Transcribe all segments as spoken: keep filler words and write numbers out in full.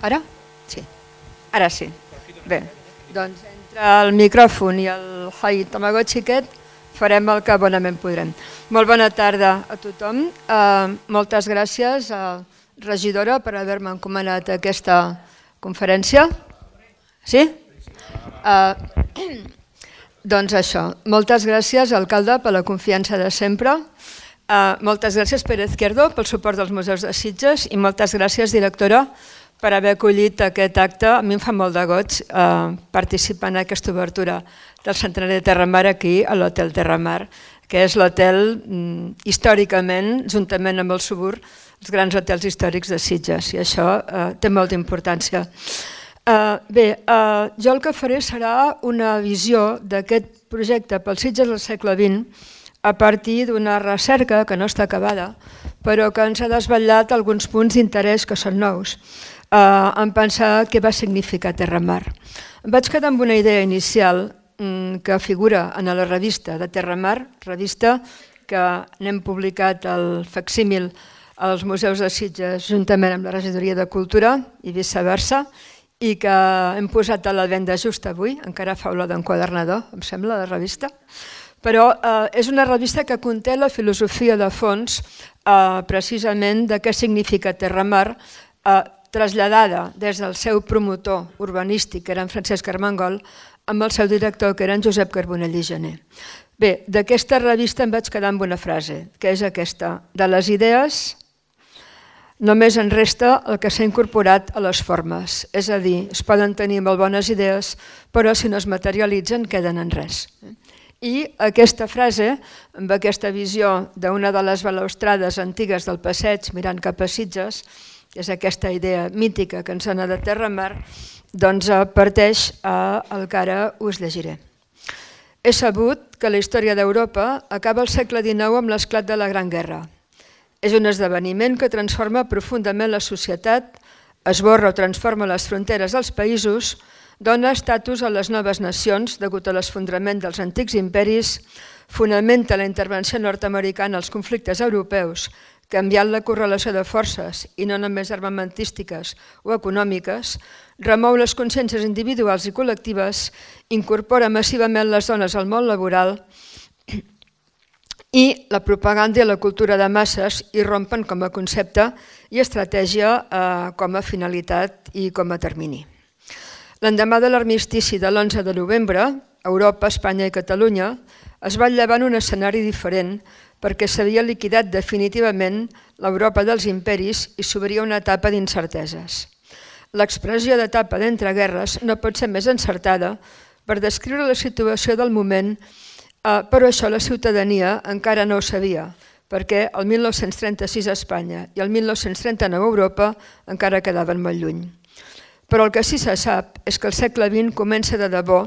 Ara? Sí. Ara sí. Bé, doncs entre el micròfon i el Hai Tamagotchi aquest farem el que bonament podrem. Molt bona tarda a tothom. Uh, moltes gràcies, uh, regidora, per haver-me encomanat aquesta conferència. Sí? Uh, doncs això, moltes gràcies, alcalde, per la confiança de sempre. Uh, moltes gràcies, Pere Izquierdo, pel suport dels museus de Sitges i moltes gràcies, directora, per haver acollit aquest acte. A mi em fa molt de goig uh, participar en aquesta obertura del centenari de Terramar aquí, a l'Hotel Terramar, que és l'hotel mm, històricament, juntament amb el Subur, els grans hotels històrics de Sitges, i això uh, té molta importància. Uh, bé, uh, jo el que faré serà una visió d'aquest projecte pel Sitges del segle vint a partir d'una recerca que no està acabada, però que ens ha desvetllat alguns punts d'interès que són nous, uh, en pensar què va significar Terramar. Em vaig quedar amb una idea inicial mm, que figura en la revista de Terramar, revista que n'hem publicat el facsímil als museus de Sitges juntament amb la regidoria de Cultura i viceversa, i que hem posat a la venda just avui, encara fa olor d'enquadernador, em sembla, la revista. Però eh, és una revista que conté la filosofia de fons eh, precisament de què significa Terramar, eh, traslladada des del seu promotor urbanístic, que era en Francesc Armengol, amb el seu director, que era en Josep Carbonell i Gené. Bé, d'aquesta revista em vaig quedar amb una frase, que és aquesta: de les idees només en resta el que s'ha incorporat a les formes, és a dir, es poden tenir molt bones idees, però si no es materialitzen queden en res. I aquesta frase, amb aquesta visió d'una de les balaustrades antigues del passeig mirant cap a Sitges, que és aquesta idea mítica que ens sona de Terramar, doncs parteix al que ara us llegiré. He sabut que la història d'Europa acaba al segle dinou amb l'esclat de la Gran Guerra. És un esdeveniment que transforma profundament la societat, esborra o transforma les fronteres dels països, dona estatus a les noves nacions degut a l'esfondrament dels antics imperis, fonamenta la intervenció nord-americana als conflictes europeus, canviant la correlació de forces i no només armamentístiques o econòmiques, remou les consciències individuals i col·lectives, incorpora massivament les dones al món laboral i la propaganda i la cultura de masses irrompen com a concepte i estratègia eh, com a finalitat i com a termini. L'endemà de l'armistici de l'onze de novembre, Europa, Espanya i Catalunya es va llevar en un escenari diferent perquè s'havia liquidat definitivament l'Europa dels imperis i s'obria una etapa d'incerteses. L'expressió d'etapa d'entreguerres no pot ser més encertada per descriure la situació del moment, eh, però això la ciutadania encara no ho sabia, perquè el mil nou-cents trenta-sis a Espanya i el mil nou-cents trenta-nou a Europa encara quedaven molt lluny. Però el que sí se sap és que el segle vint comença de debò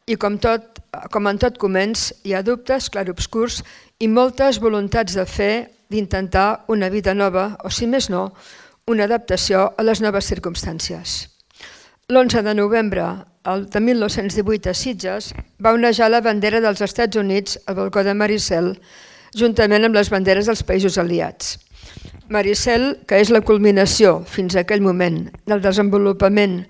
i com, tot, com en tot començ hi ha dubtes, clarobscurs i moltes voluntats de fer, d'intentar una vida nova o, si més no, una adaptació a les noves circumstàncies. L'onze de novembre de mil nou-cents divuit a Sitges va onejar la bandera dels Estats Units al balcó de Maricel, juntament amb les banderes dels països aliats. Maricel, que és la culminació, fins a aquell moment, del desenvolupament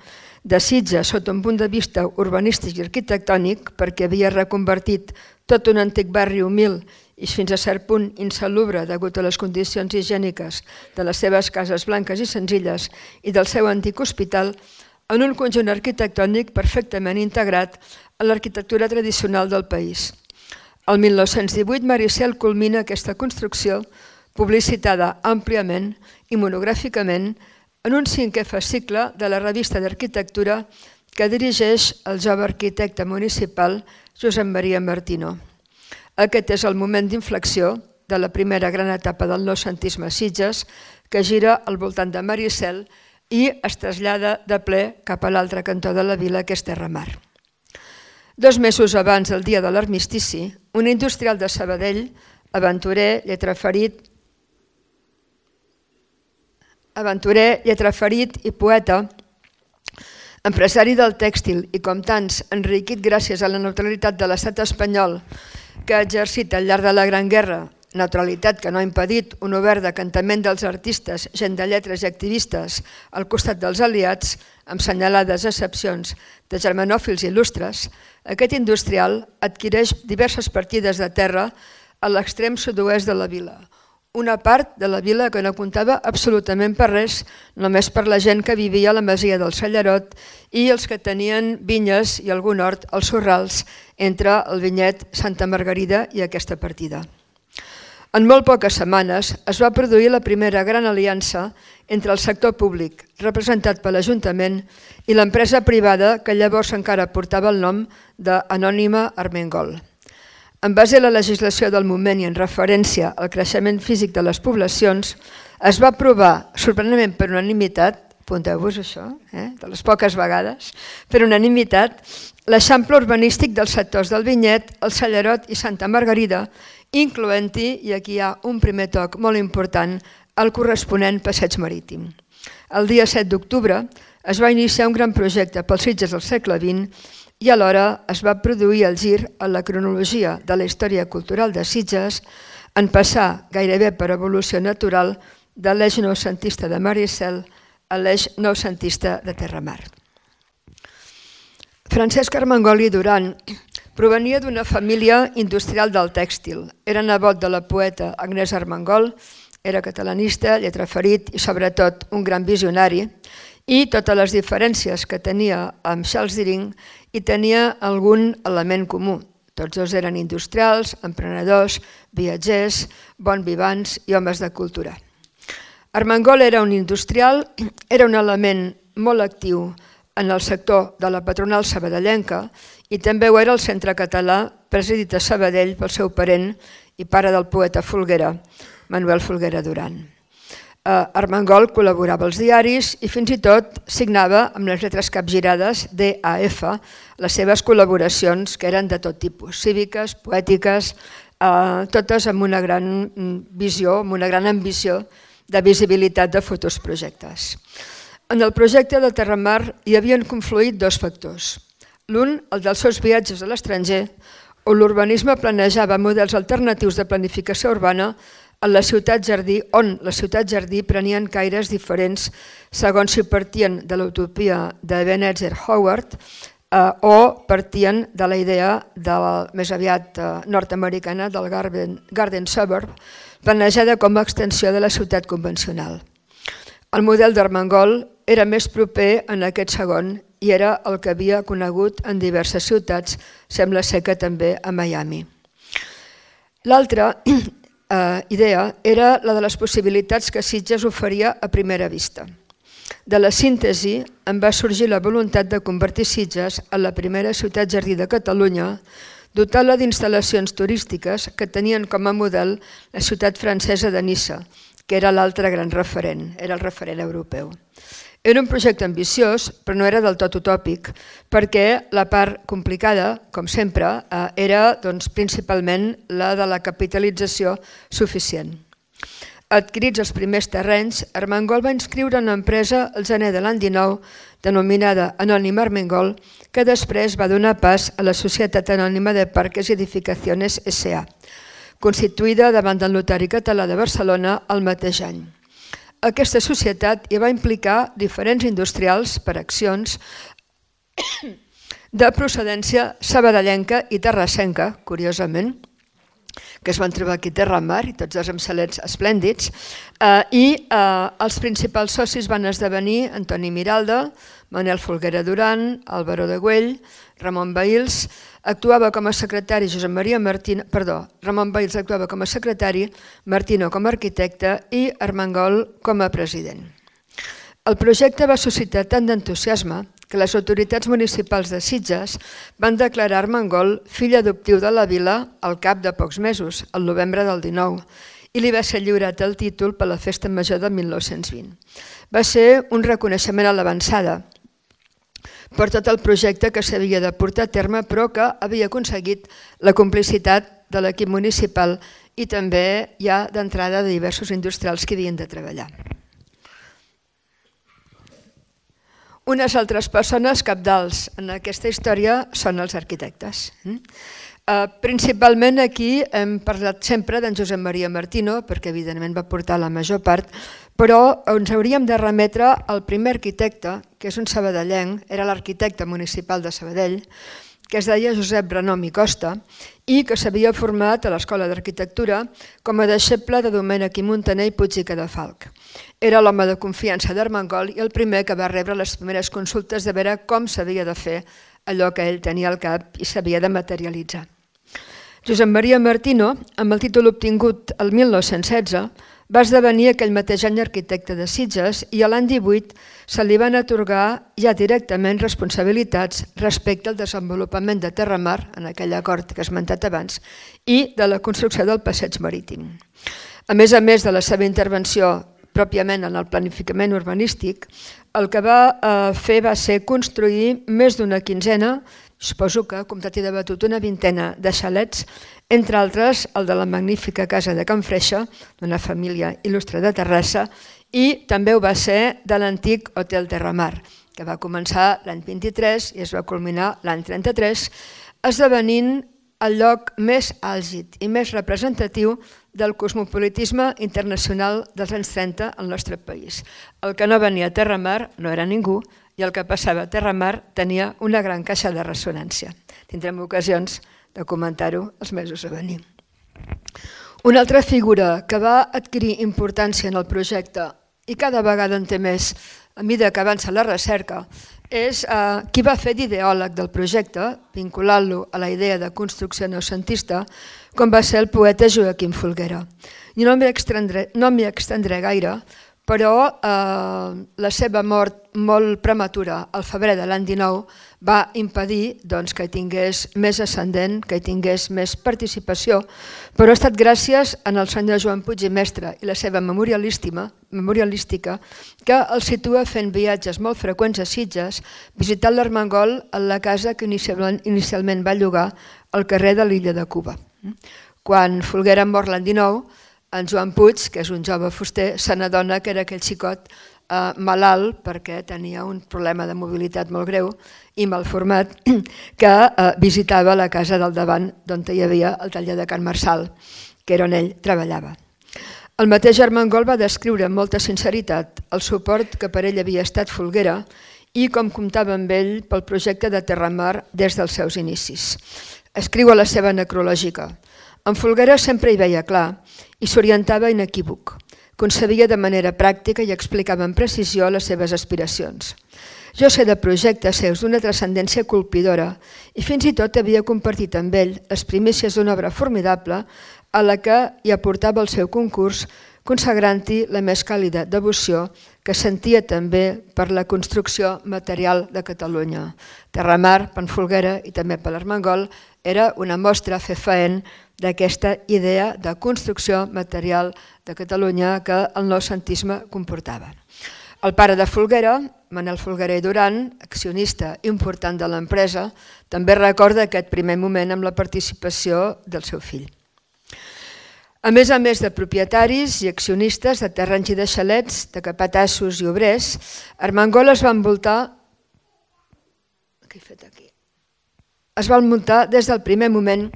de Sitges sota un punt de vista urbanístic i arquitectònic, perquè havia reconvertit tot un antic barri humil i fins a cert punt insalubre degut a les condicions higièniques de les seves cases blanques i senzilles i del seu antic hospital, en un conjunt arquitectònic perfectament integrat a l'arquitectura tradicional del país. El mil nou-cents divuit Maricel culmina aquesta construcció, publicitada àmpliament i monogràficament en un cinquè fascicle de la revista d'arquitectura que dirigeix el jove arquitecte municipal Josep Maria Martino. Aquest és el moment d'inflexió de la primera gran etapa del noucentisme a Sitges, que gira al voltant de Maricel i es trasllada de ple cap a l'altre cantó de la vila, que és Terramar. Dos mesos abans del dia de l'armistici, un industrial de Sabadell, aventurer, lletraferit, aventurer, lletraferit i poeta, empresari del tèxtil i, com tants, enriquit gràcies a la neutralitat de l'estat espanyol que ha exercit al llarg de la Gran Guerra neutralitat que no ha impedit un obert decantament dels artistes, gent de lletres i activistes al costat dels aliats, amb senyalades excepcions de germanòfils il·lustres, aquest industrial adquireix diverses partides de terra a l'extrem sud-oest de la vila. Una part de la vila que no comptava absolutament per res, només per la gent que vivia a la masia del Sallarot i els que tenien vinyes i algun hort als Sorrals entre el vinyet Santa Margarida i aquesta partida. En molt poques setmanes es va produir la primera gran aliança entre el sector públic, representat per l'Ajuntament, i l'empresa privada que llavors encara portava el nom d'Anònima Armengol. En base a la legislació del moment i en referència al creixement físic de les poblacions, es va aprovar, sorprenentment per unanimitat, apunteu-vos això, eh, de les poques vegades, per unanimitat, l'eixample urbanístic dels sectors del Vinyet, el Sallarot i Santa Margarida, incloent-hi, i aquí hi ha un primer toc molt important, el corresponent passeig marítim. El dia set d'octubre es va iniciar un gran projecte pels Sitges del segle vint i alhora es va produir el gir a la cronologia de la història cultural de Sitges en passar gairebé per evolució natural de l'eix noucentista de Maricel a l'eix noucentista de Terramar. Francesc Armengol i Duran provenia d'una família industrial del tèxtil. Era nebot de la poeta Agnès Armengol, era catalanista, lletraferit i sobretot un gran visionari, i totes les diferències que tenia amb Charles Deering hi tenia algun element comú. Tots dos eren industrials, emprenedors, viatgers, bons vivants i homes de cultura. Armengol era un industrial, era un element molt actiu en el sector de la patronal sabadellenca i també ho era el Centre Català, presidit a Sabadell pel seu parent i pare del poeta Folguera, Manuel Folguera Duran. Armengol col·laborava als diaris i fins i tot signava amb les lletres capgirades D A F les seves col·laboracions, que eren de tot tipus, cíviques, poètiques, totes amb una gran visió, amb una gran ambició de visibilitat de futurs projectes. En el projecte de Terramar hi havien confluït dos factors. L'un, el dels seus viatges a l'estranger, on l'urbanisme planejava models alternatius de planificació urbana en la ciutat jardí, on la ciutat jardí prenien caires diferents segons si partien de l'utopia de Ebenezer Howard eh, o partien de la idea de la, més aviat eh, nord-americana del Garden, Garden Suburb, planejada com a extensió de la ciutat convencional. El model d'Armengol era més proper en aquest segon i era el que havia conegut en diverses ciutats, sembla ser que també a Miami. L'altra Uh, idea era la de les possibilitats que Sitges oferia a primera vista. De la síntesi en va sorgir la voluntat de convertir Sitges en la primera ciutat jardí de Catalunya, dotant-la d'instal·lacions turístiques que tenien com a model la ciutat francesa de Niça, que era l'altre gran referent, era el referent europeu. Era un projecte ambiciós, però no era del tot utòpic, perquè la part complicada, com sempre, era principalment la de la capitalització suficient. Adquirits els primers terrenys, Armengol va inscriure una empresa al gener de l'any dinou, denominada Anònima Armengol, que després va donar pas a la Societat Anònima de Parques y Edificaciones S A, constituïda davant del Notari Català de Barcelona el mateix any. Aquesta societat hi va implicar diferents industrials per accions de procedència sabadellenca i terrassenca, curiosament, que es van trobar aquí a Terramar i tots dos amb xalets esplèndids, i els principals socis van esdevenir Antoni Miralda, Manuel Folguera Duran, Álvaro de Güell, Ramon Bahils, actuava com a secretari Josep Maria Martino, perdó, Ramon Bahils actuava com a secretari, Martino com a arquitecte i Armengol com a president. El projecte va suscitar tant d'entusiasme que les autoritats municipals de Sitges van declarar Armengol fill adoptiu de la vila al cap de pocs mesos, al novembre del dinou, i li va ser lliurat el títol per la Festa Major de mil nou-cents vint. Va ser un reconeixement a l'avançada per tot el projecte que s'havia de portar a terme, però que havia aconseguit la complicitat de l'equip municipal i també ja d'entrada de diversos industrials que havien de treballar. Unes altres persones cabdals en aquesta història són els arquitectes. Principalment aquí hem parlat sempre d'en Josep Maria Martino, perquè evidentment va portar la major part, però ens hauríem de remetre al primer arquitecte, que és un sabadellenc, era l'arquitecte municipal de Sabadell, que es deia Josep Renom i Costa i que s'havia format a l'Escola d'Arquitectura com a deixeble de Domènec i Muntaner i Puig i Cadafalch. Era l'home de confiança d'Armengol i el primer que va rebre les primeres consultes de veure com s'havia de fer allò que ell tenia al cap i s'havia de materialitzar. Josep Maria Martino, amb el títol obtingut el mil nou-cents setze, va esdevenir aquell mateix any arquitecte de Sitges i a l'any divuit se li van atorgar ja directament responsabilitats respecte al desenvolupament de Terramar, en aquell acord que he esmentat abans, i de la construcció del passeig marítim. A més a més de la seva intervenció pròpiament en el planificament urbanístic, el que va fer va ser construir més d'una quinzena, suposo que ha comptat i debatut una vintena de xalets, entre altres el de la magnífica casa de Can Freixa, d'una família il·lustre de Terrassa, i també ho va ser de l'antic Hotel Terramar, que va començar l'any vint-i-tres i es va culminar l'any trenta-tres, esdevenint el lloc més àlgid i més representatiu del cosmopolitisme internacional dels anys trenta al nostre país. El que no venia a Terramar no era ningú i el que passava a Terramar tenia una gran caixa de ressonància. Tindrem ocasions de comentar-ho els mesos a venir. Una altra figura que va adquirir importància en el projecte i cada vegada en té més a mesura que avança la recerca és qui va fer d'ideòleg del projecte, vinculant-lo a la idea de construcció noucentista, com va ser el poeta Joaquim Folguera. I no m'hi extendré gaire, però la seva mort molt prematura al febrer de l'any dinou va impedir que hi tingués més ascendent, que hi tingués més participació, però ha estat gràcies al senyor Joan Puig i Mestre i la seva memorialística que el situa fent viatges molt freqüents a Sitges, visitant l'Armengol en la casa que inicialment va llogar al carrer de l'Illa de Cuba. Quan Folguera mor l'any dinou, en Joan Puig, que és un jove fuster, se n'adona que era aquell xicot malalt perquè tenia un problema de mobilitat molt greu i mal format, que visitava la casa del davant on hi havia el taller de Can Marçal, que era on ell treballava. El mateix Armengol va descriure amb molta sinceritat el suport que per ell havia estat Folguera i com comptava amb ell pel projecte de Terramar des dels seus inicis. Escriu a la seva necrològica: en Folguera sempre hi veia clar i s'orientava inequívoc. Concebia de manera pràctica i explicava amb precisió les seves aspiracions. Jo sé de projectes seus d'una transcendència colpidora i fins i tot havia compartit amb ell les primícies d'una obra formidable a la que hi aportava el seu concurs, consagrant-hi la més càlida devoció que sentia també per la construcció material de Catalunya. Terramar, per Folguera i també per l'Armengol era una mostra fefaent d'aquesta idea de construcció material de Catalunya que el noucentisme comportava. El pare de Folguera, Manel Folguera i Duran, accionista important de l'empresa, també recorda aquest primer moment amb la participació del seu fill. A més a més de propietaris i accionistes de terrenys i de xalets, de capatassos i obrers, Armengol es va envoltar es va envoltar des del primer moment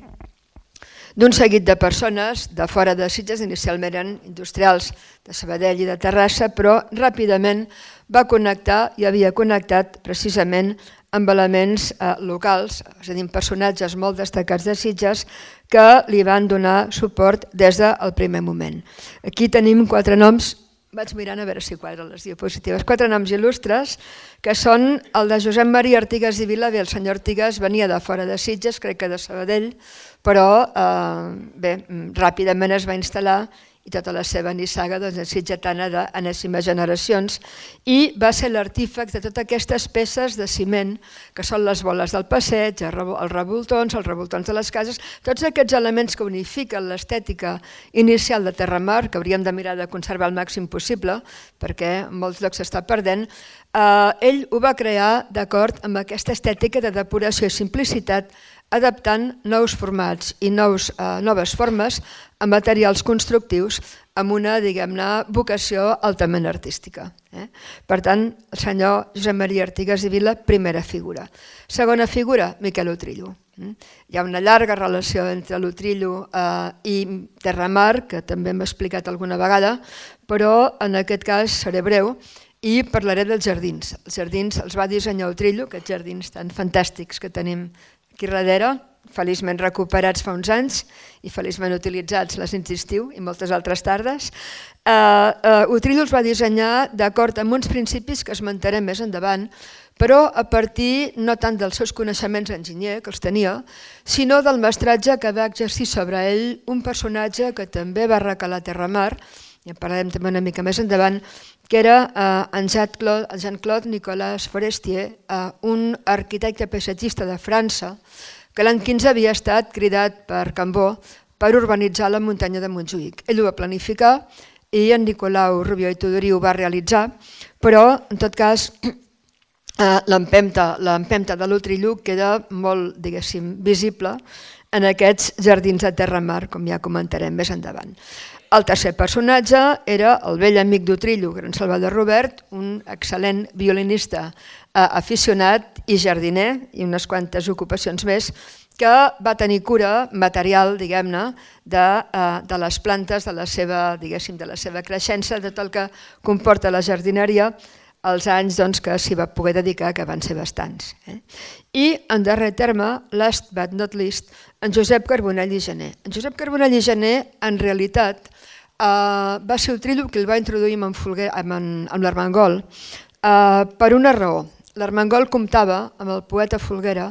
d'un seguit de persones de fora de Sitges, inicialment eren industrials de Sabadell i de Terrassa, però ràpidament va connectar i havia connectat precisament amb elements locals, és a dir, personatges molt destacats de Sitges que li van donar suport des del primer moment. Aquí tenim quatre noms, vaig mirant a veure si quadren les diapositives, quatre noms il·lustres, que són el de Josep Maria Artigas i Vila. Bé, el senyor Artigas venia de fora de Sitges, crec que de Sabadell, però bé, ràpidament es va instal·lar i tota la seva nissaga sitgetana d'enèsimes generacions, i va ser l'artífex de totes aquestes peces de ciment, que són les boles del passeig, els revoltons, els revoltons de les cases, tots aquests elements que unifiquen l'estètica inicial de Terramar, que hauríem de mirar de conservar al màxim possible, perquè en molts llocs s'està perdent. Ell ho va crear d'acord amb aquesta estètica de depuració i simplicitat adaptant nous formats i nous, eh, noves formes a materials constructius amb una, diguem-ne, vocació altament artística. Eh? Per tant, el senyor Josep Maria Artigas i Vila, primera figura. Segona figura, Miquel Utrillo. Hi ha una llarga relació entre l'Utrillo eh, i Terramar, que també hem explicat alguna vegada, però en aquest cas seré breu i parlaré dels jardins. Els jardins els va dissenyar Utrillo, aquests jardins tan fantàstics que tenim aquí darrere, feliçment recuperats fa uns anys i feliçment utilitzats les nits d'estiu i moltes altres tardes. Uh, uh, Utrillo els va dissenyar d'acord amb uns principis que esmentarem més endavant, però a partir no tant dels seus coneixements d'enginyer, que els tenia, sinó del mestratge que va exercir sobre ell un personatge que també va recalar a Terramar, i en parlarem també una mica més endavant, que era uh, en Jean-Claude Jean Nicolas Forestier, uh, un arquitecte paisatgista de França, que l'any quinze havia estat cridat per Cambó per urbanitzar la muntanya de Montjuïc. Ell ho va planificar i en Nicolau Rubió i Tudurí ho va realitzar, però en tot cas l'empenta de l'Utrillo queda molt, diguéssim, visible en aquests jardins de Terramar, com ja comentarem més endavant. El tercer personatge era el vell amic d'Utrillo, Gran Salvador Robert, un excel·lent violinista aficionat i jardiner, i unes quantes ocupacions més, que va tenir cura material, diguem-ne, de, de les plantes, de la seva, diguéssim, de la seva creixença, de tot el que comporta la jardineria, els anys doncs, que s'hi va poder dedicar, que van ser bastants. Eh? I, en darrer terme, last but not least, en Josep Carbonell i Gener. En Josep Carbonell i Gener, en realitat, eh, va ser Utrillo qui el va introduir amb, Folguer, amb, amb l'Armengol eh, per una raó. L'Armengol comptava amb el poeta Folguera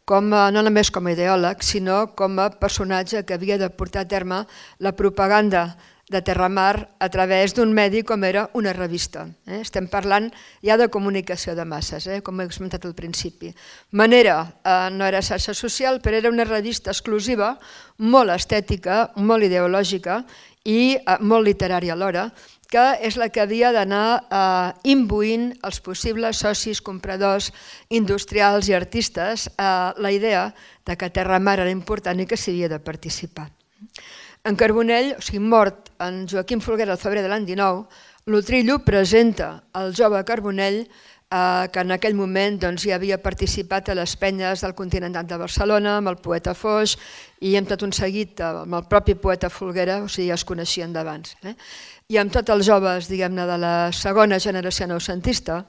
com a, no només com a ideòleg, sinó com a personatge que havia de portar a terme la propaganda de Terramar a través d'un medi com era una revista. Eh? Estem parlant ja de comunicació de masses, eh? com he comentat al principi. Manera, eh, no era xarxa social, però era una revista exclusiva, molt estètica, molt ideològica i eh, molt literària alhora, que és la que havia d'anar eh, imbuint els possibles socis, compradors, industrials i artistes eh, la idea de que Terramar era important i que s'hi havia de participar. En Carbonell, o sigui, mort en Joaquim Folguera al febrer de l'any dinou, l'Utrillo presenta al jove Carbonell eh, que en aquell moment doncs, ja havia participat a les penyes del Continental de Barcelona, amb el poeta Foix i amb tot un seguit amb el propi poeta Folguera, o sigui, ja es coneixien d'abans. Eh? I amb tots els joves, diguem-ne, de la segona generació noucentista,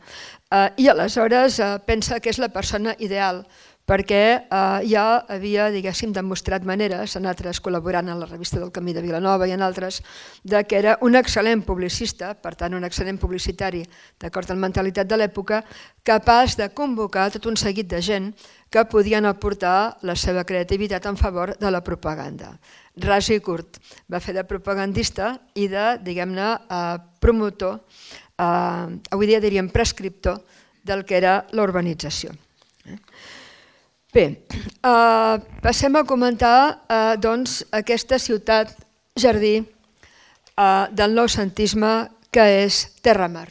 eh, i aleshores eh, pensa que és la persona ideal, perquè eh, ja havia, diguéssim, demostrat maneres, en altres col·laborant a la revista del Camí de Vilanova i en altres, de que era un excel·lent publicista, per tant un excel·lent publicitari, d'acord amb la mentalitat de l'època, capaç de convocar tot un seguit de gent que podien aportar la seva creativitat en favor de la propaganda. Ras i curt, va fer de propagandista i de, diguem-ne, eh, promotor, eh, avui dia diríem prescriptor, del que era l'urbanització. Bé, eh, passem a comentar eh, doncs, aquesta ciutat jardí eh, del noucentisme que és Terramar.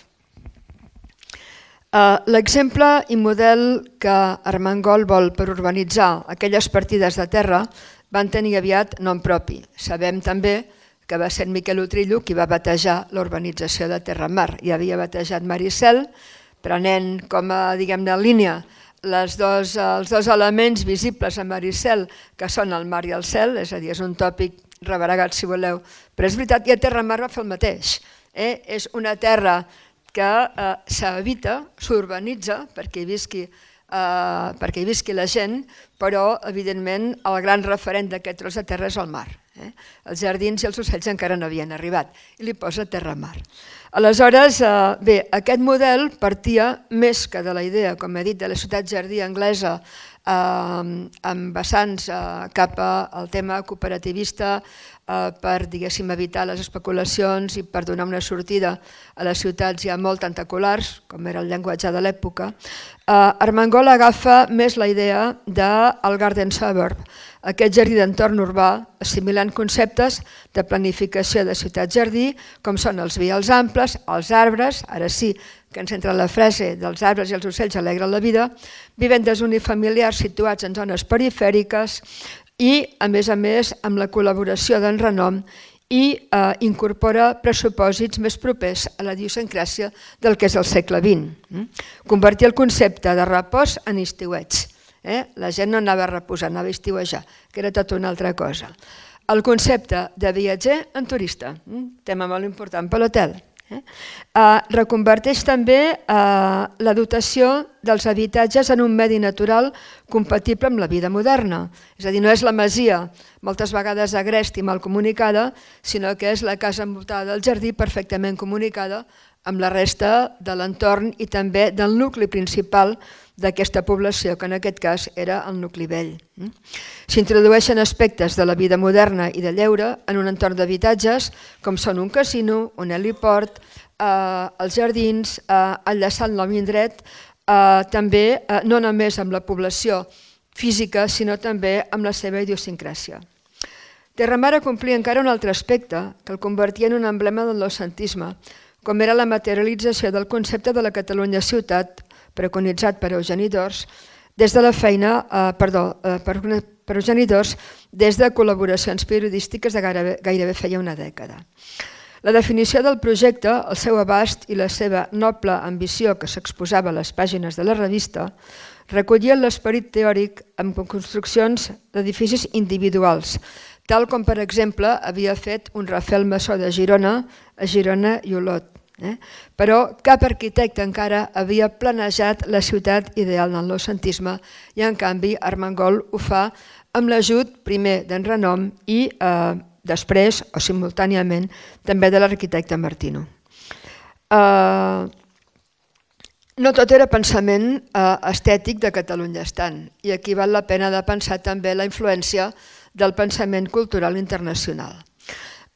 Eh, L'exemple i model que Armengol vol per urbanitzar aquelles partides de terra van tenir aviat nom propi. Sabem també que va ser Miquel Utrillo qui va batejar l'urbanització de Terramar. Ja havia batejat Maricel, prenent com a, diguem-ne, línia Les dos, els dos elements visibles a Maricel, que són el mar i el cel, és a dir, és un tòpic rebregat si voleu, però és veritat que a Terramar va fer el mateix. Eh? És una terra que eh, s'habita, s'urbanitza perquè hi visqui, eh, perquè hi visqui la gent, però evidentment el gran referent d'aquest tros de terra és el mar. Eh? Els jardins i els ocells encara no havien arribat i li posa Terramar. Aleshores, bé, aquest model partia més que de la idea, com he dit, de la ciutat jardí anglesa amb vessants cap al tema cooperativista per, diguéssim, evitar les especulacions i per donar una sortida a les ciutats ja molt tentaculars, com era el llenguatge de l'època. Armengol agafa més la idea del Garden Suburb, aquest jardí d'entorn urbà, assimilant conceptes de planificació de ciutat-jardí, com són els vials amples, els arbres, ara sí, que ens entra la frase dels arbres i els ocells alegren la vida, vivendes unifamiliars situats en zones perifèriques i, a més a més, amb la col·laboració d'en Renom i eh, incorpora pressupòsits més propers a la idiosincràsia del que és el segle vint. Convertir el concepte de repòs en estiuets. Eh? La gent no anava a reposar, anava a estiuejar, que era tota una altra cosa. El concepte de viatger en turista, tema molt important per l'hotel. Eh? Eh, reconverteix també eh, la dotació dels habitatges en un medi natural compatible amb la vida moderna. És a dir, no és la masia, moltes vegades agresta i mal comunicada, sinó que és la casa envoltada del jardí perfectament comunicada amb la resta de l'entorn i també del nucli principal d'aquesta població, que en aquest cas era el nucli vell. S'introdueixen aspects de la vida moderna i de lleure en un entorn d'habitatges com són un casino, un heliport, eh, els jardins, eh, enllaçant l'home indret, eh, també eh, no només amb la població física, sinó també amb la seva idiosincràsia. Terramar complia encara un altre aspecte que el convertia en un emblema del noucentisme, com era la materialització del concepte de la Catalunya ciutat, preconitzat per Eugeni d'Ors, des de la feina, eh, perdó, eh, per, per Eugeni d'Ors, des de col·laboracions periodístiques de gairebé, gairebé feia una dècada. La definició del projecte, el seu abast i la seva noble ambició que s'exposava a les pàgines de la revista, recollien l'esperit teòric amb construccions d'edificis individuals, tal com, per exemple, havia fet un Rafael Massó de Girona a Girona i Olot. Eh? Però cap arquitecte encara havia planejat la ciutat ideal del noucentisme i, en canvi, Armengol ho fa amb l'ajut primer d'en Renom i eh, després, o simultàniament, també de l'arquitecte Martino. Eh, no tot era pensament eh, estètic de Catalunya estant, i aquí val la pena de pensar també la influència del pensament cultural internacional.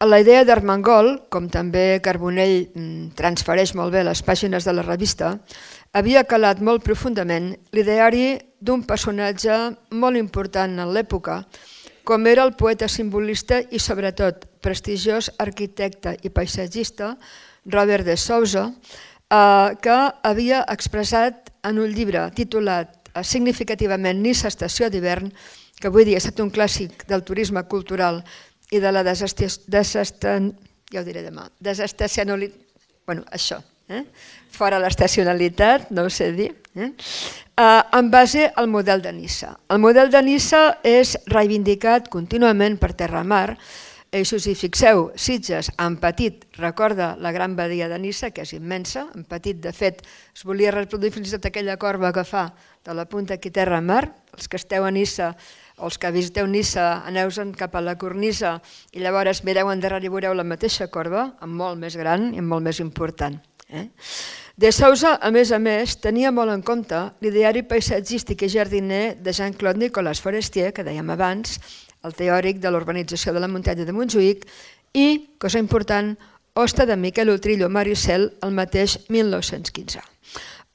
A la idea d'Armengol, com també Carbonell transfereix molt bé a les pàgines de la revista, havia calat molt profundament l'ideari d'un personatge molt important en l'època, com era el poeta simbolista i sobretot prestigiós arquitecte i paisatgista Robert de Sousa, que havia expressat en un llibre titulat significativament Niça estació d'hivern, que avui dia ha estat un clàssic del turisme cultural i de la desestacionalitat, bueno, això, eh? fora l'estacionalitat, no ho sé dir, eh? Uh, en base al model de Niça. El model de Niça és reivindicat contínuament per Terramar, i si us hi fixeu, Sitges en petit recorda la gran badia de Niça, que és immensa, en petit de fet es volia reproduir fins i tot aquella corba que fa de la punta aquí Terramar. Els que esteu a Niça o els que visiteu Niça aneu-se'n cap a la cornisa i llavors mireu endarrere i veureu la mateixa corba, amb molt més gran i molt més important. Eh? De Sousa, a més a més, tenia molt en compte l'ideari paisatgístic i jardiner de Jean-Claude Nicolas Forestier, que dèiem abans, el teòric de l'urbanització de la muntanya de Montjuïc, i, cosa important, hoste de Miquel Utrillo Maricel el mateix mil nou-cents quinze.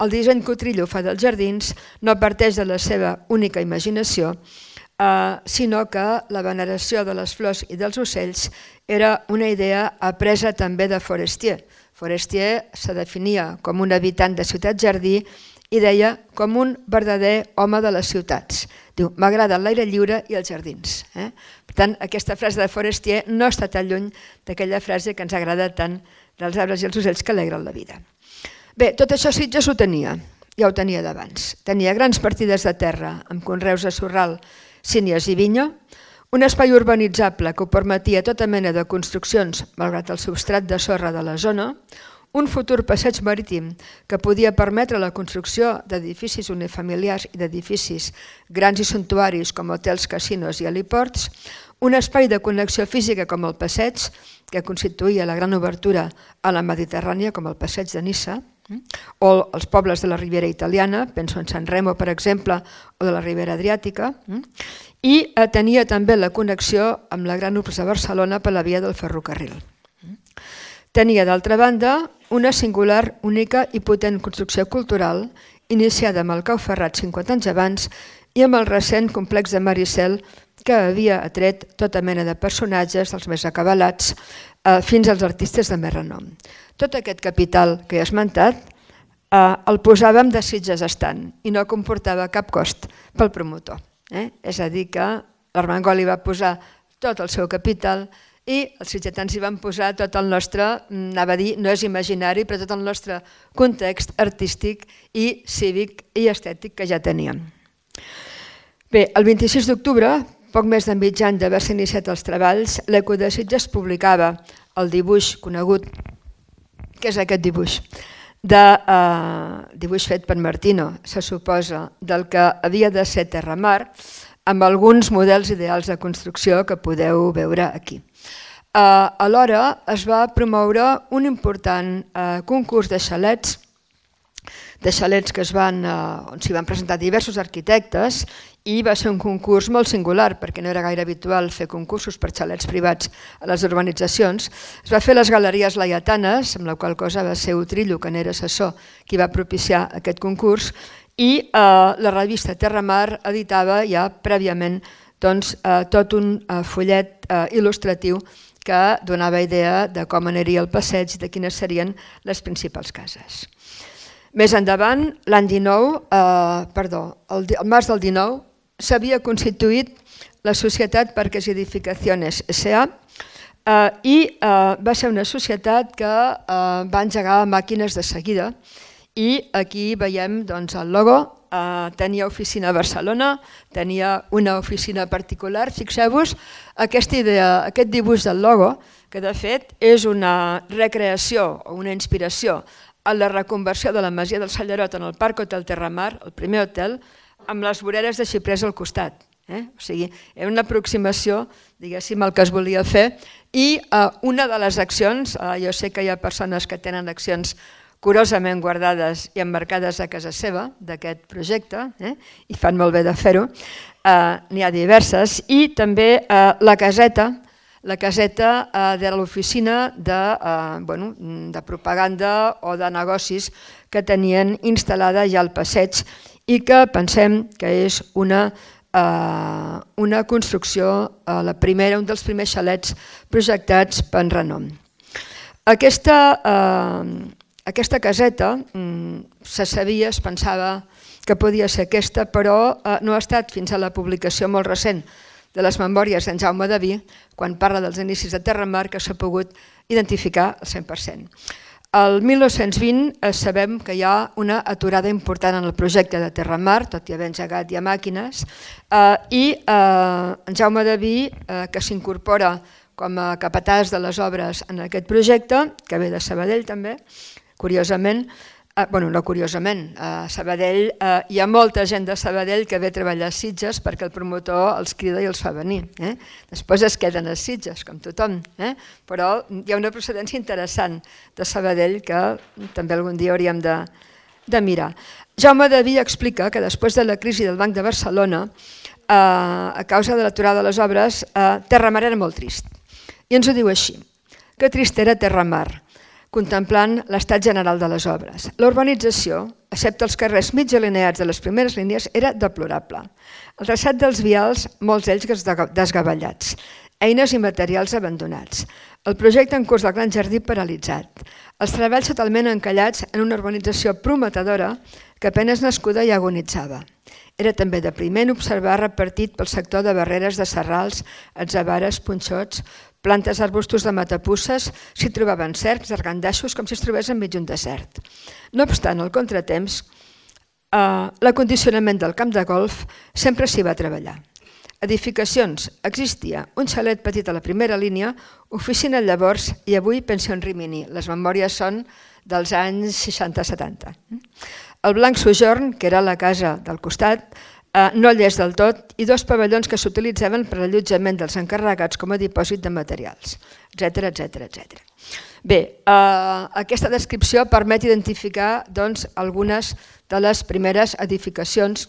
El disseny que Utrillo fa dels jardins no parteix de la seva única imaginació, Uh, sinó que la veneració de les flors i dels ocells era una idea apresa també de Forestier. Forestier se definia com un habitant de ciutat-jardí i deia com un verdader home de les ciutats. Diu, m'agrada l'aire lliure i els jardins. Eh? Per tant, aquesta frase de Forestier no està tan lluny d'aquella frase que ens agrada tant dels arbres i els ocells que alegren la vida. Bé, tot això Sitges ho tenia, ja ho tenia d'abans. Tenia grans partides de terra amb conreus de sorral, sínies i vinya, un espai urbanitzable que ho permetia tota mena de construccions, malgrat el substrat de sorra de la zona, un futur passeig marítim que podia permetre la construcció d'edificis unifamiliars i d'edificis grans i suntuaris com hotels, casinos i heliports, un espai de connexió física com el passeig, que constituïa la gran obertura a la Mediterrània com el passeig de Niça, o els pobles de la Ribera Italiana, penso en San Remo, per exemple, o de la Ribera Adriàtica, i tenia també la connexió amb la gran urbs de Barcelona per la via del ferrocarril. Tenia, d'altra banda, una singular, única i potent construcció cultural, iniciada amb el Cau Ferrat cinquanta anys abans i amb el recent complex de Maricel, que havia atret tota mena de personatges, dels més acabalats, fins als artistes de més renom. Tot aquest capital que he esmentat el posàvem de Sitges estant i no comportava cap cost pel promotor. És a dir, que l'Armengol hi va posar tot el seu capital i els sitgetans hi van posar tot el nostre, anava a dir, no és imaginari, però tot el nostre context artístic i cívic i estètic que ja teníem. Bé, el vint-i-sis d'octubre, poc més de mig any d'haver-se iniciat els treballs, l'Eco de Sitges publicava el dibuix conegut, que és aquest dibuix, de dibuix fet per Martino, se suposa, del que havia de ser Terramar, amb alguns models ideals de construcció que podeu veure aquí. Alhora es va promoure un important concurs de xalets, de xalets que es van, on s'hi van presentar diversos arquitectes i va ser un concurs molt singular perquè no era gaire habitual fer concursos per xalets privats a les urbanitzacions. Es va fer a les Galeries Laietanes, amb la qual cosa va ser Utrillo, que n'era assessor, qui va propiciar aquest concurs, i la revista Terramar editava ja prèviament tot un fullet il·lustratiu que donava idea de com aniria el passeig i de quines serien les principals cases. Més endavant, l'any dinou, perdó, el març del dinou, s'havia constituït la Societat Parques y Edificaciones S A i va ser una societat que va engegar màquines de seguida i aquí veiem el logo. Tenia oficina a Barcelona, tenia una oficina particular. Fixeu-vos aquesta idea, aquest dibuix del logo, que de fet és una recreació o una inspiració a la reconversió de la Masia del Sallerot en el Parc Hotel Terramar, el primer hotel, amb les voreres de xiprers al costat. O sigui, era una aproximació, diguéssim, al que es volia fer i una de les accions, jo sé que hi ha persones que tenen accions curosament guardades i emmarcades a casa seva d'aquest projecte, i fan molt bé de fer-ho, n'hi ha diverses, i també la caseta, la caseta de l'oficina de propaganda o de negocis que tenien instal·lada ja al passeig i que pensem que és una una construcció, la primera, un dels primers xalets projectats per Renom. Aquesta Aquesta caseta se sabia, es pensava que podia ser aquesta, però no ha estat fins a la publicació molt recent de les memòries d'en Jaume Daví, quan parla dels inicis de Terramar, que s'ha pogut identificar al cent per cent. El mil nou-cents vint sabem que hi ha una aturada important en el projecte de Terramar, tot i haver engegat ja màquines, i en Jaume Daví, que s'incorpora com a capatàs de les obres en aquest projecte, que ve de Sabadell també, curiosament, bueno, no curiosament, a Sabadell hi ha molta gent de Sabadell que ve a treballar a Sitges perquè el promotor els crida i els fa venir. Després es queden a Sitges, com tothom, però hi ha una procedència interessant de Sabadell que també algun dia hauríem de mirar. Jaume Daví explica que després de la crisi del Banc de Barcelona, a causa de l'aturada de les obres, Terramar era molt trist. I ens ho diu així: que trist era Terramar, contemplant l'estat general de les obres. La urbanització, excepte els carrers mig alineats de les primeres línies, era deplorable. El traçat dels vials, molts d'ells desgavellats, eines i materials abandonats, el projecte en curs del Gran Jardí paralitzat, els treballs totalment encallats en una urbanització prometedora que apenas nascuda i agonitzava. Era també depriment observar repartit pel sector de barreres de serrals, atzabares, punxots, plantes, arbustos de matapusses, s'hi trobaven cercs, argandaixos, com si es trobés enmig d'un desert. No obstant el contratemps, l'acondicionament del camp de golf sempre s'hi va treballar. Edificacions, existia un xalet petit a la primera línia, oficina llavors i avui pensió en Rimini. Les memòries són dels anys seixanta setanta. El Blanc Sojorn, que era la casa del costat, no llest del tot, i dos pavellons que s'utilitzaven per allotjament dels encarregats com a dipòsit de materials, etcètera, etcètera, etcètera. Bé, aquesta descripció permet identificar algunes de les primeres edificacions.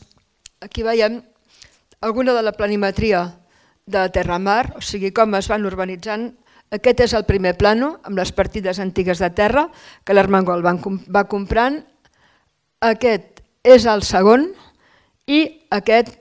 Aquí veiem alguna de la planimetria de Terramar, o sigui, com es van urbanitzant. Aquest és el primer plano, amb les partides antigues de terra que l'Armengol va comprant. Aquest és el segon i aquest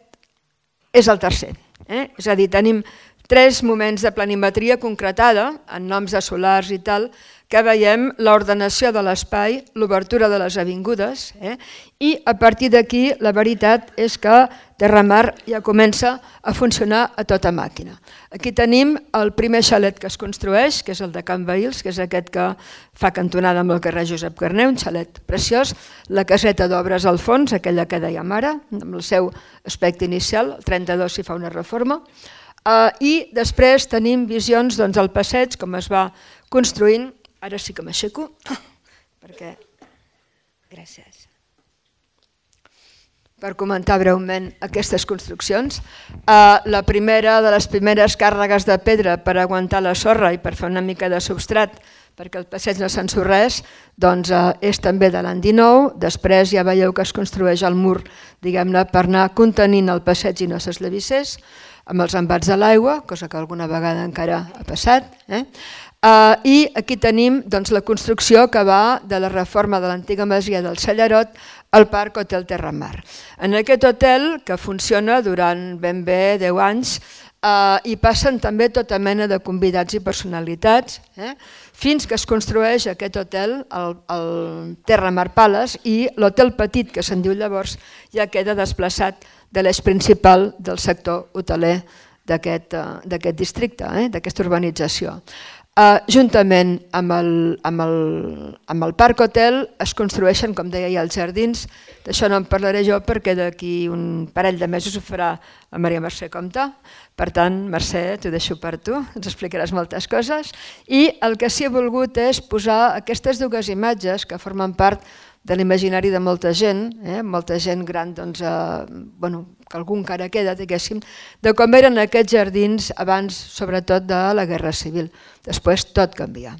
és el tercer. És a dir, tenim tres moments de planimetria concretada, en noms de solars i tal, que veiem l'ordenació de l'espai, l'obertura de les avingudes, eh? I a partir d'aquí la veritat és que Terramar ja comença a funcionar a tota màquina. Aquí tenim el primer xalet que es construeix, que és el de Can Bahils, que és aquest que fa cantonada amb el carrer Josep Carner, un xalet preciós, la caseta d'obres al fons, aquella que dèiem ara, amb el seu aspecte inicial, el trenta-dos s'hi fa una reforma, uh, i després tenim visions del doncs, passeig, com es va construint. Ara sí que m'aixeco, perquè... Gràcies. Per comentar breument aquestes construccions. La primera de les primeres càrregues de pedra per aguantar la sorra i per fer una mica de substrat perquè el passeig no s'ensorrés, doncs és també de l'any dinou. Després ja veieu que es construeix el mur, diguem-ne, per anar contenint el passeig i no s'eslavissés, amb els embats de l'aigua, cosa que alguna vegada encara ha passat. Eh? Uh, I aquí tenim doncs, la construcció que va de la reforma de l'antiga masia del Cellerot al Parc Hotel Terramar. En aquest hotel, que funciona durant ben bé deu anys, uh, hi passen també tota mena de convidats i personalitats, eh? Fins que es construeix aquest hotel, el, el Terramar Palace, i l'hotel petit, que se'n diu llavors, ja queda desplaçat de l'eix principal del sector hoteler d'aquest uh, d'aquest districte, eh? D'aquesta urbanització. Uh, juntament amb el, amb, el, amb el Parc Hotel es construeixen, com deia, ja els jardins. D'això no en parlaré jo perquè d'aquí un parell de mesos ho farà la Maria Mercè Compte. Per tant, Mercè, t'ho deixo per tu, ens explicaràs moltes coses. I el que sí he volgut és posar aquestes dues imatges que formen part de l'imaginari de molta gent, eh? Molta gent gran, doncs, eh, bueno, que algú encara queda, diguéssim, de com eren aquests jardins abans, sobretot, de la Guerra Civil. Després tot canvia.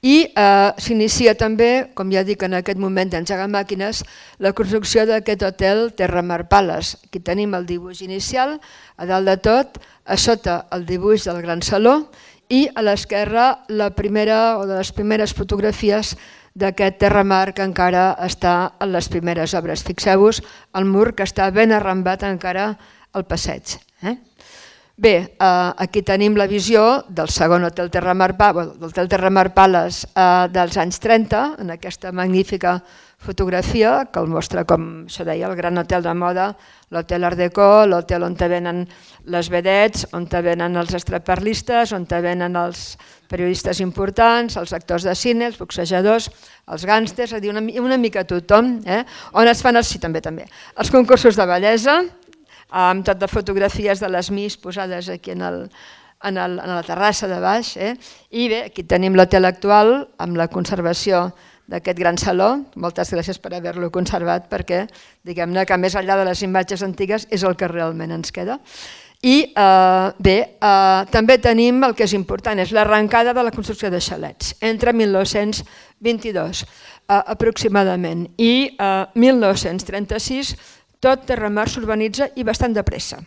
I eh, s'inicia també, com ja dic, en aquest moment d'engegar màquines, la construcció d'aquest hotel Terramar Palace. Aquí tenim el dibuix inicial, a dalt de tot, a sota el dibuix del Gran Saló i a l'esquerra la primera o de les primeres fotografies d'aquest Terramar que encara està en les primeres obres. Fixeu-vos el mur que està ben arrambat encara al passeig. Eh? Bé, eh, aquí tenim la visió del segon Hotel Terramar, del Terramar Palace eh, dels anys trenta, en aquesta magnífica fotografia que el mostra, com això deia, el gran hotel de moda, l'hotel Art Deco, l'hotel on te venen les vedets, on te venen els estraperlistes, on te venen els periodistes importants, els actors de cine, els boxejadors, els gàngsters, és a dir, una, una mica tothom, eh? On es fan els, sí, també, també, els concursos de bellesa, amb tot de fotografies de les Miss posades aquí en, el, en, el, en la terrassa de baix. Eh? I bé, aquí tenim l'hotel actual amb la conservació d'aquest gran saló. Moltes gràcies per haver-lo conservat perquè, diguem-ne, que més enllà de les imatges antigues és el que realment ens queda. I eh, bé, eh, també tenim el que és important, és l'arrencada de la construcció de xalets entre mil nou-cents vint-i-dos eh, aproximadament i eh, mil nou-cents trenta-sis tot Terramar s'urbanitza i bastant de pressa.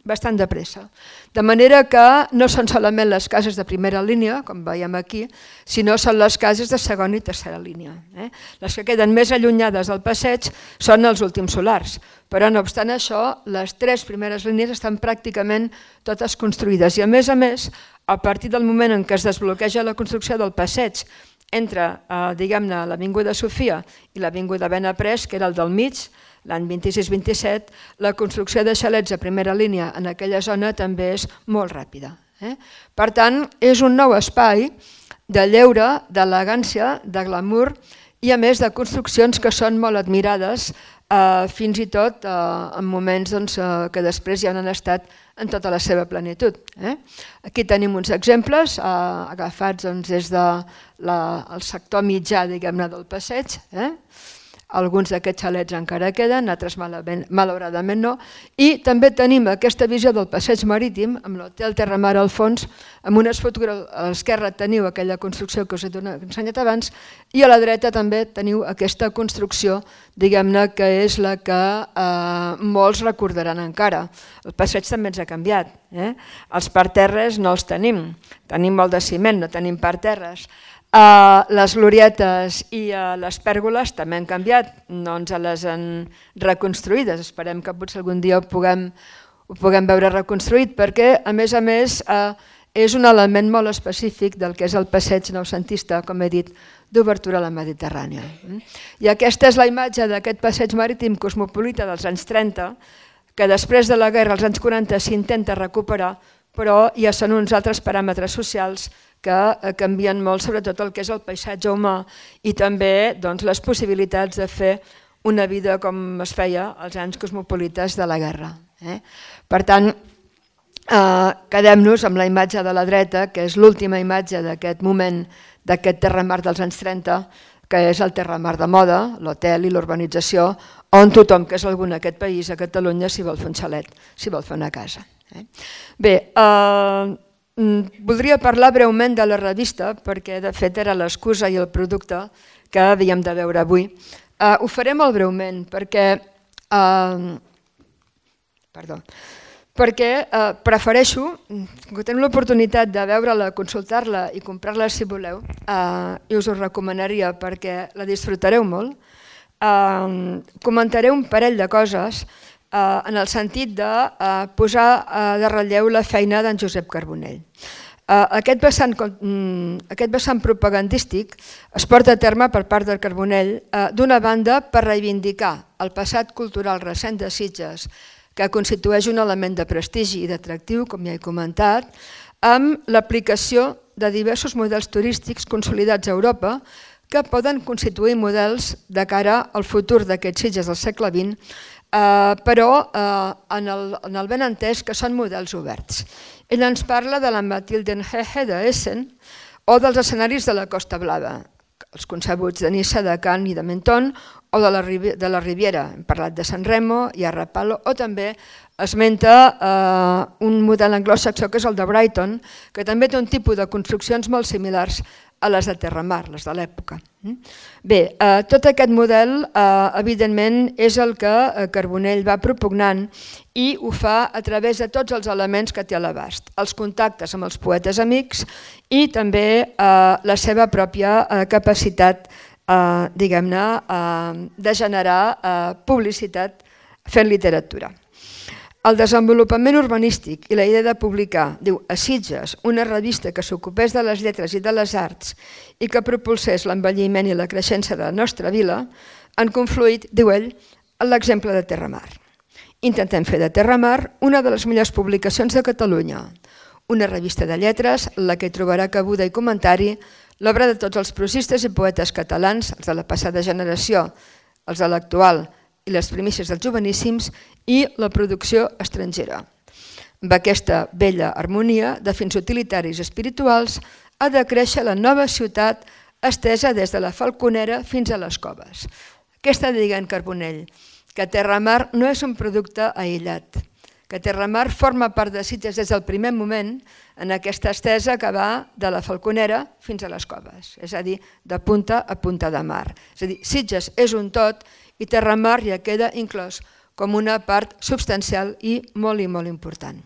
Bastant de pressa. De manera que no són solament les cases de primera línia, com veiem aquí, sinó són les cases de segona i tercera línia. Eh? Les que queden més allunyades del passeig són els últims solars, però no obstant això, les tres primeres línies estan pràcticament totes construïdes i a més a més, a partir del moment en què es desbloqueja la construcció del passeig entre, eh, diguem-ne, l'Avinguda Sofia i l'Avinguda Benaprés, que era el del mig, l'any vint-i-sis vint-i-set, la construcció de xalets a primera línia en aquella zona també és molt ràpida. Eh? Per tant, és un nou espai de lleure, d'elegància, de glamour i a més de construccions que són molt admirades, eh, fins i tot eh, en moments doncs, eh, que després ja han estat en tota la seva plenitud. Eh? Aquí tenim uns exemples eh, agafats doncs, des del de sector mitjà, diguem-ne, del passeig. Eh? Alguns d'aquests xalets encara queden, altres malauradament no. I també tenim aquesta visió del passeig marítim, amb l'hotel Terramar al fons, amb unes fotografies, a l'esquerra teniu aquella construcció que us he ensenyat abans, i a la dreta també teniu aquesta construcció, diguem-ne, que és la que eh, molts recordaran encara. El passeig també ens ha canviat. Eh? Els parterres no els tenim, tenim molt de ciment, no tenim parterres. Uh, les glorietes i uh, les pèrgoles també han canviat, no ens les han reconstruïdes, esperem que potser algun dia ho puguem, ho puguem veure reconstruït, perquè a més a més és un element molt específic del que és el passeig noucentista, com he dit, d'obertura a la Mediterrània. I aquesta és la imatge d'aquest passeig marítim cosmopolita dels anys trenta, que després de la guerra, als anys quaranta, s'intenta recuperar, però ja són uns altres paràmetres socials que canvien molt, sobretot el que és el paisatge humà i també les possibilitats de fer una vida com es feia als anys cosmopolites de la guerra. Per tant, quedem-nos amb la imatge de la dreta, que és l'última imatge d'aquest moment, d'aquest terramar dels anys trenta, que és el terramar de moda, l'hotel i l'urbanització, on tothom que és algú en aquest país, a Catalunya, s'hi vol fer un xalet, s'hi vol fer una casa. Bé, voldria parlar breument de la revista, perquè de fet era l'excusa i el producte que havíem de veure avui. Ho faré molt breument, perquè perdó, perquè prefereixo, que teniu l'oportunitat de veure-la, consultar-la i comprar-la si voleu, i us ho recomanaria perquè la disfrutareu molt. Comentaré un parell de coses en el sentit de posar de relleu la feina d'en Josep Carbonell. Aquest vessant propagandístic es porta a terme per part del Carbonell, d'una banda per reivindicar el passat cultural recent de Sitges, que constitueix un element de prestigi i d'atractiu, com ja he comentat, amb l'aplicació de diversos models turístics consolidats a Europa que poden constituir models de cara al futur d'aquests Sitges del segle vint, però en el ben entès que són models oberts. Ell ens parla de la Mathildenhöhe d'Essen o dels escenaris de la Costa Blava, els concebuts de Niça, de Cannes i de Menton, o de la Riviera, hem parlat de San Remo i Arrapalo, o també esmenta un model anglosaxó que és el de Brighton, que també té un tipus de construccions molt similars a les de terramar, les de l'època. Bé, tot aquest model evidentment és el que Carbonell va propugnant i ho fa a través de tots els elements que té a l'abast, els contactes amb els poetes amics i també la seva pròpia capacitat, diguem-ne, de generar publicitat fent literatura. El desenvolupament urbanístic i la idea de publicar, diu, a Sitges, una revista que s'ocupés de les lletres i de les arts i que propulsés l'envelliment i la creixença de la nostra vila, han confluït, diu ell, en l'exemple de Terramar. Intentem fer de Terramar una de les millors publicacions de Catalunya, una revista de lletres en la que trobarà cabuda i comentari l'obra de tots els prosistes i poetes catalans, els de la passada generació, els de l'actual i les primícies dels joveníssims, i la producció estrangera. Amb aquesta bella harmonia de fins utilitaris i espirituals ha de créixer la nova ciutat estesa des de la Falconera fins a les Coves. Què està dient Carbonell? Que Terramar no és un producte aïllat, que Terramar forma part de Sitges des del primer moment en aquesta estesa que va de la Falconera fins a les Coves, és a dir, de punta a punta de mar. És a dir, Sitges és un tot i Terramar ja queda inclòs com una part substancial i molt i molt important.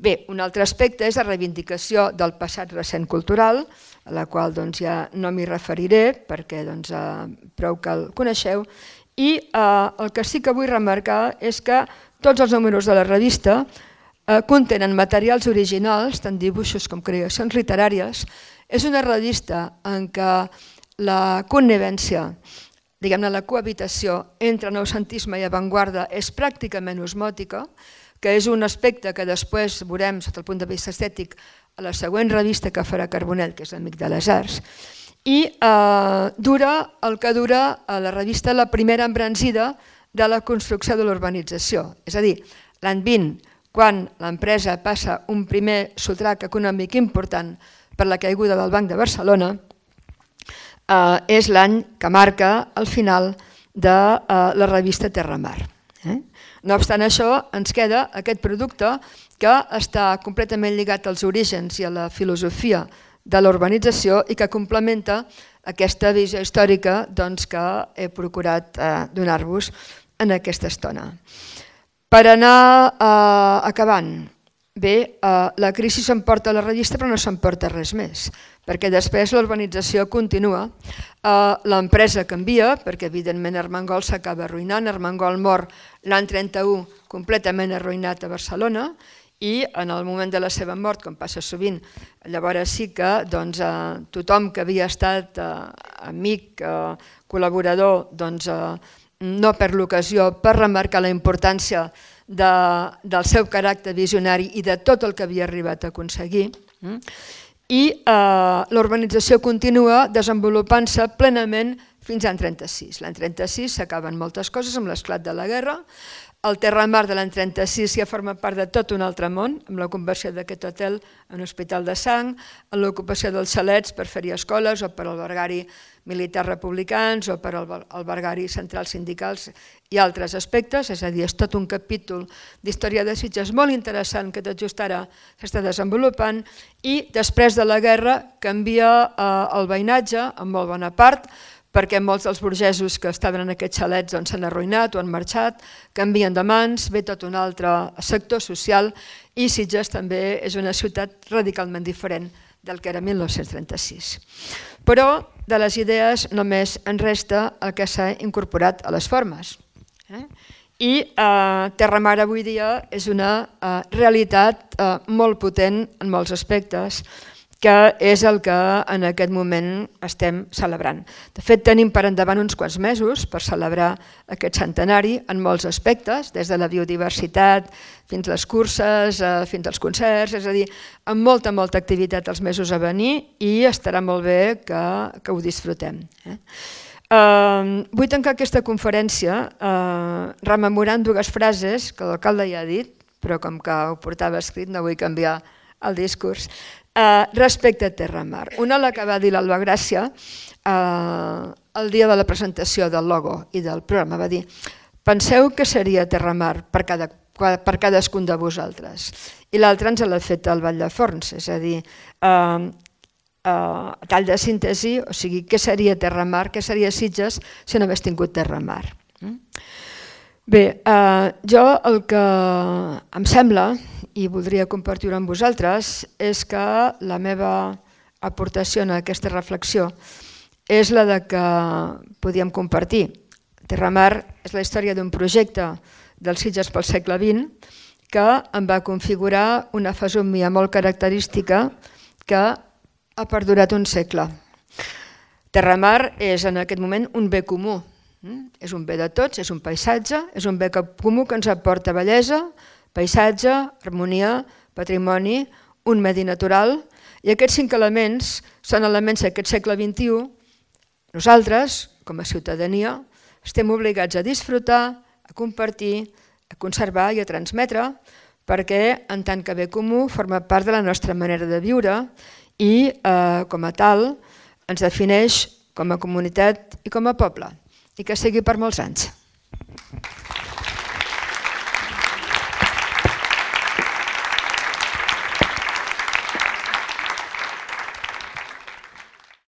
Bé, un altre aspecte és la reivindicació del passat recent cultural, a la qual ja no m'hi referiré perquè prou que el coneixeu, i el que sí que vull remarcar és que tots els números de la revista contenen materials originals, tant dibuixos com creacions literàries. És una revista en què la connivència, diguem-ne, la cohabitació entre noucentisme i avantguarda és pràcticament osmòtica, que és un aspecte que després veurem sota el punt de vista estètic a la següent revista que farà Carbonell, que és l'Amic de les Arts, i dura el que dura a la revista la primera embranzida de la construcció de l'urbanització. És a dir, l'any vint, quan l'empresa passa un primer sotrac econòmic important per la caiguda del Banc de Barcelona, és l'any que marca el final de la revista Terramar. No obstant això, ens queda aquest producte que està completament lligat als orígens i a la filosofia de la urbanització i que complementa aquesta visió històrica que he procurat donar-vos en aquesta estona. Per anar acabant, Bé, la crisi s'emporta la revista però no s'emporta res més, perquè després l'urbanització continua, l'empresa canvia, perquè evidentment Armengol s'acaba arruïnant, Armengol mor l'any trenta-u completament arruïnat a Barcelona i en el moment de la seva mort, com passa sovint, llavors sí que tothom que havia estat amic, col·laborador, no per l'ocasió, per remarcar la importància del seu caràcter visionari i de tot el que havia arribat a aconseguir. I l'urbanització continua desenvolupant-se plenament fins l'any trenta-sis. L'any trenta-sis s'acaben moltes coses amb l'esclat de la guerra. El Terramar de l'any trenta-sis ja forma part de tot un altre món, amb la conversió d'aquest hotel en hospital de sang, en l'ocupació dels xalets per fer-hi escoles o per albergar-hi militars republicans o per albergar-hi centrals sindicals i altres aspectes, és a dir, és tot un capítol d'història de Sitges molt interessant que tot just ara s'està desenvolupant i després de la guerra canvia el veïnatge en molt bona part perquè molts dels burgesos que estaven en aquests xalets s'han arruïnat o han marxat, canvien de mans, ve tot un altre sector social i Sitges també és una ciutat radicalment diferent del que era mil nou-cents trenta-sis. Però de les idees només en resta el que s'ha incorporat a les formes. I Terramar avui dia és una realitat molt potent en molts aspectes, que és el que en aquest moment estem celebrant. De fet, tenim per endavant uns quants mesos per celebrar aquest centenari en molts aspectes, des de la biodiversitat fins a les curses, fins als concerts, és a dir, amb molta, molta activitat els mesos a venir i estarà molt bé que ho disfrutem. Vull tancar aquesta conferència rememorant dues frases que l'alcalde ja ha dit, però com que ho portava escrit no vull canviar el discurs, respecte a Terramar. Una la que va dir l'Alba Gràcia el dia de la presentació del logo i del programa, va dir: penseu què seria Terramar per cadascun de vosaltres. I l'altra ens l'ha fet el Vall de Forns, és a dir, a tall de síntesi, o sigui, què seria Terramar, què seria Sitges si no hagués tingut Terramar. Bé, jo el que em sembla, i voldria compartir-ho amb vosaltres, és que la meva aportació en aquesta reflexió és la de que podíem compartir. Terramar és la història d'un projecte del Sitges pel segle vint que em va configurar una fesomia molt característica que ha perdurat un segle. Terramar és en aquest moment un bé comú. És un bé de tots, és un paisatge, és un bé comú que ens aporta bellesa, paisatge, harmonia, patrimoni, un medi natural, i aquests cinc elements són elements d'aquest segle vint-i-u. Nosaltres, com a ciutadania, estem obligats a disfrutar, a compartir, a conservar i a transmetre, perquè en tant que bé comú forma part de la nostra manera de viure i com a tal ens defineix com a comunitat i com a poble, i que sigui per molts anys.